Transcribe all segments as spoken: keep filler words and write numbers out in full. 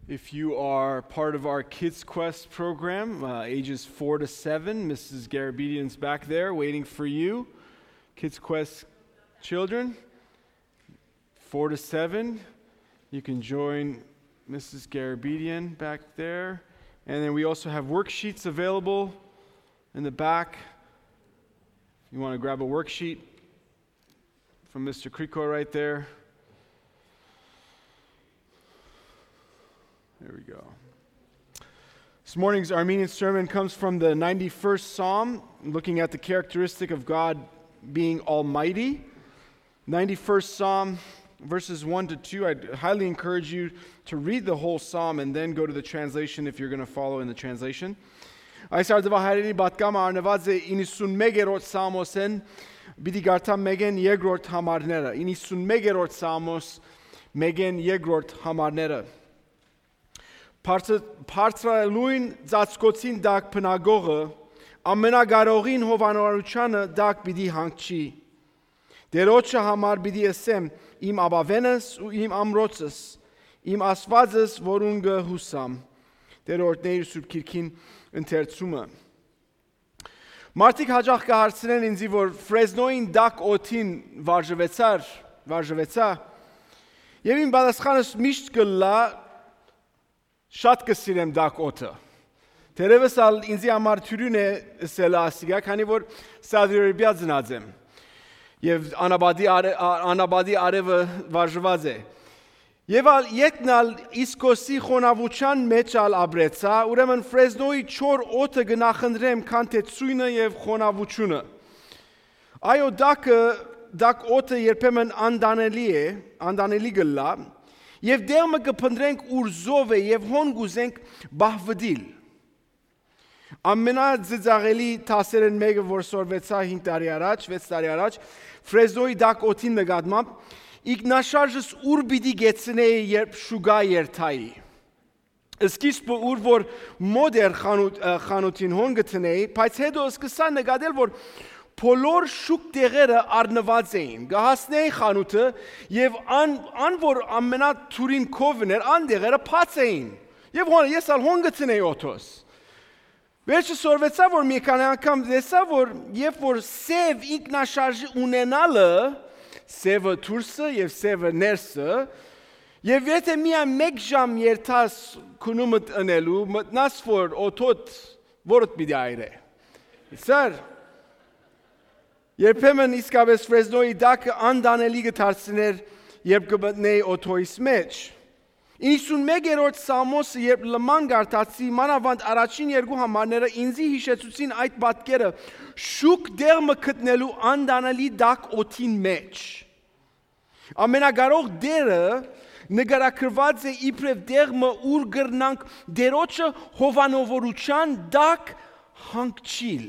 If you are part of our Kids Quest program, uh, ages four to seven, Missus Garabedian's back there waiting for you. Kids Quest children, four to seven, you can join Missus Garabedian back there. And then we also have worksheets available in the back. If you want to grab a worksheet from Mister Kriko right there. There we go. This morning's Armenian sermon comes from the ninety-first Psalm, looking at the characteristic of God being almighty. ninety-first Psalm, verses one to two. I highly encourage you to read the whole Psalm and then go to the translation if you're going to follow in the translation. Այս արդուահայերենի պատգամը առնուած է իննսունմեկերորդ Սաղմոսէն, պիտի կարդամ մեկեն երկրորդ համարները, իննսունմեկերորդ Սաղմոս, մեկեն երկրորդ համարները։ Բարձ-, բարձրալուն ծածկոցին տակ բնակողը, ամենակարողին հովանորութեանը տակ պիտի հանգչի։ Տերոջը համար պիտի ըսեմ. իմ ապաւէնս ու իմ ամրոցս, իմ Աստուածս, որուն կը յուսամ։ Տեր օրհնէ իր Սուրբ Գիրքին ընթերցումը։ Մարդիկ հաճախ կը հարցնեն ինձի, որ Ֆրեզնոյին տաք օդին վարժուեցա՞ր, վարժուեցա։ Եւ իմ պատասխանս միշտ կ'ըլլայ. շատ կը սիրեմ տաք օդը։ Թերեւս ալ ինձի համար թիւրին է ըսել ասիկա, քանի որ Սաուդի Արաբիա ծնած եմ եւ անապատի արը-, ա-, անապատի արեւը վարժուած է։ Եւ ալ ետքն ալ Իսկոսի խոնաւութեան մէջ ալ ապրեցայ, ուրեմն Ֆրեզնոյի չոր օդը կը նախընտրեմ, քան թէ ցոյնը եւ խոնաւութիւնը։ Այո, տակը, տաք օդը երբեմն անտանելի է, անտանելի կ'ըլլայ, եւ տեղ մը կը փնտռենք, ուր զով է եւ հոն կ'ուզենք պահուտիլ։ Ամենածիծաղելի դասերէն մէկը, որ սորվեցայ հինգ տարի առաջ, վեց տարի առաջ, Ֆրեզնոյի տաք օդին նկատմամբ, ինքնաշարժս ուր պիտի կեցնէի, երբ շուկայ երթայի։ Սկիզբը ուր որ մօտ էր խանութ-, ը, խանութին, հոն կը դնէի, բայց հետո սկսա նկատել, որ բոլոր շուկ տեղերը առնուած էին։ Կը հասնէի խանութը եւ ան, ան որ ամենաթուրին քովն էր, ան տեղերը բաց էին։ Եւ հոն, ես ալ հոն կը դնէի օդոս։ Վերջը սորվեցայ, որ մի քանի անգամ տեսայ, որ երբ որ սեւ ինքնաշարժի ունենալը, սեւը դուրսը եւ սեւը ներսը, եւ եթե միայն մէկ ժամ երթաս քունումդ ընելու, մտնաս որ օդոդ որդ պիտի այրէ։ Սար, երբեմն իսկապես Ֆրեզնոյի տակը անտանելի կը դարձնէր, երբ կը մտնէի օդոյիս մէջ։ Իննսունմեկերորդ Սաղմոսը երբ լման կարդացի, մանաւանդ առաջին երկու համարները ինձի յիշեցուցին այդ պատկերը, շուք տեղ մը գտնելու անտանելի տաք օդին մէջ։ Ամենակարող Տերը նկարագրուած է իբրեւ տեղ մը, ուր կրնանք Տերոջը հովանովորութեան տակ հանգչիլ։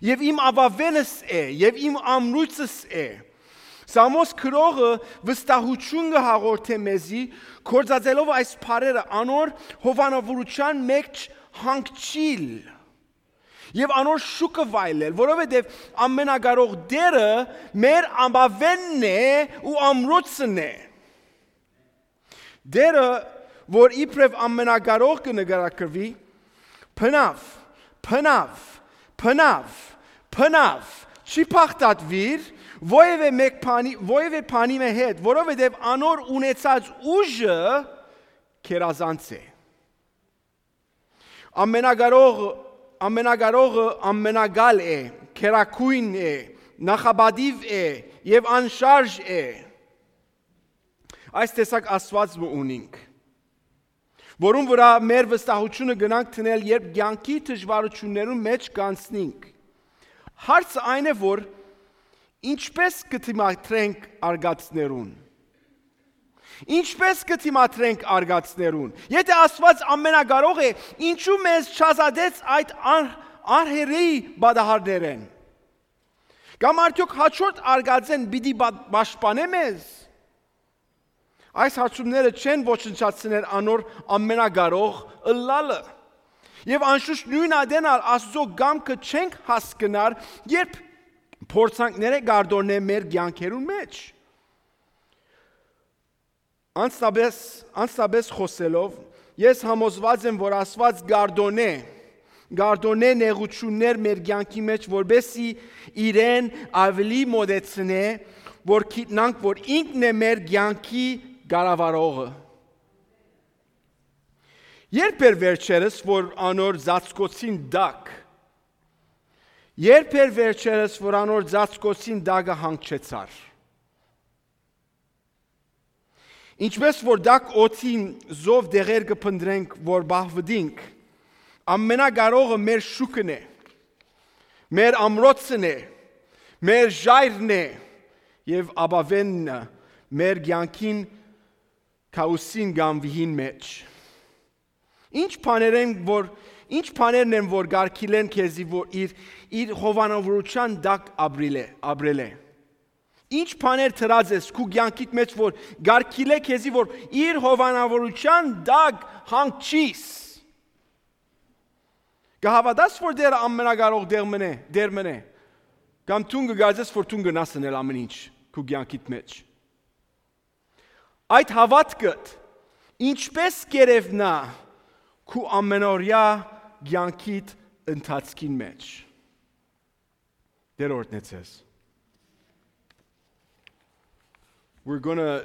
Եւ իմ ապաւէնս է, եւ իմ ամրույցս է։ Սամոս գրողը վստահություն կը հաղորդէ մեզի, գործածելով այս բառերը, անոր հովանավորութեան մէջ հանգչիլ եւ անոր շուքը վայելել, որովհետեւ ամենակարող Տերը մեր ապաւէնն է ու ամրոցն է։ Տերը, որ իբրեւ ամենակարող կը նկարագրուի, բնաւ, բնաւ, բնաւ, բնաւ, չի բաղդատուիր, որևէ մէկ բանի, որևէ բանի մը հետ, որովհետեւ անոր ունեցած ուժը գերազանց է։ Ամենակարող, ամենակարողը ամենակալ է, գերագույն է, նախապատիւ է եւ անշարժ է։ Այս տեսակ Աստուած մը ունինք, որուն վրայ մեր վստահությունը կրնանք դնել, երբ կեանքի դժուարութիւններուն մէջ կանցնենք։ Հարցը այն է, որ ինչպե՞ս կը դիմադրենք արգածներուն։ Ինչպե՞ս կը դիմադրենք արգածներուն։ Եթե Աստուած ամենակարող է, ինչու մեզ չազատեց այդ ար-, արհերի պատահարներէն։ Կամ արդյոք հաջորդ արգածէն պիտի պա-, պաշտպանէ մեզ։ Այս հարցումները չեն ոչնչացներ անոր ամենակարող ըլլալը։ Եւ անշուշտ նոյն ատեն ալ Աստուծոյ կամքը չենք հասկնար, երբ փորձանքները կ'արտորնեն մեր կեանքերուն մէջ։ Անձնապէս, անձնապէս խօսելով, ես համոզուած եմ, որ Աստուած կ'արտօնէ, կ'արտօնէ նեղութիւններ մեր կեանքի մէջ, որպէսզի իրեն աւելի մօտեցնէ, որ գիտնանք, որ ինքն է մեր կեանքի կառավարողը։ Ե՞րբ էր վերջերս, որ անոր ծածկոցին տակ, ե՞րբ էր վերջերս, որ անոր ծածկոցին տակը հանգչեցար։ Ինչպէս որ տաք օդին զով դեղեր կը փնտռենք, որ պահուտինք, ամենակարողը մեր շուքն է, մեր ամրոցն է, մեր ժայռն է եւ ապաւենը մեր կեանքին քաոսին կամ վիհին մէջ։ Ինչ բաներ են, որ, ինչ բաներն են, որ կարգիլեն քեզի, որ իր, իր հովանավորութեան տակ ապրիլէ, ապրելէ։ Ինչ բաներ դրած ես քու կեանքիդ մէջ, որ կարգիլէ քեզի, որ իր հովանավորութեան տակ հանգչիս։ Կը հաւատա՞ս, որ Տէրը ամենակարող Տեր մըն է, Տեր մըն է։ Կամ դուն կը կարծես, որ դուն կրնաս ընել ամեն ինչ քու կեանքիդ մէջ։ Այդ հաւատքդ ինչպէս կ'երեւնայ քու ամենօրեայ կեանքիդ ընթացքին մէջ։ Տէր օրհնեցես։ We're gonna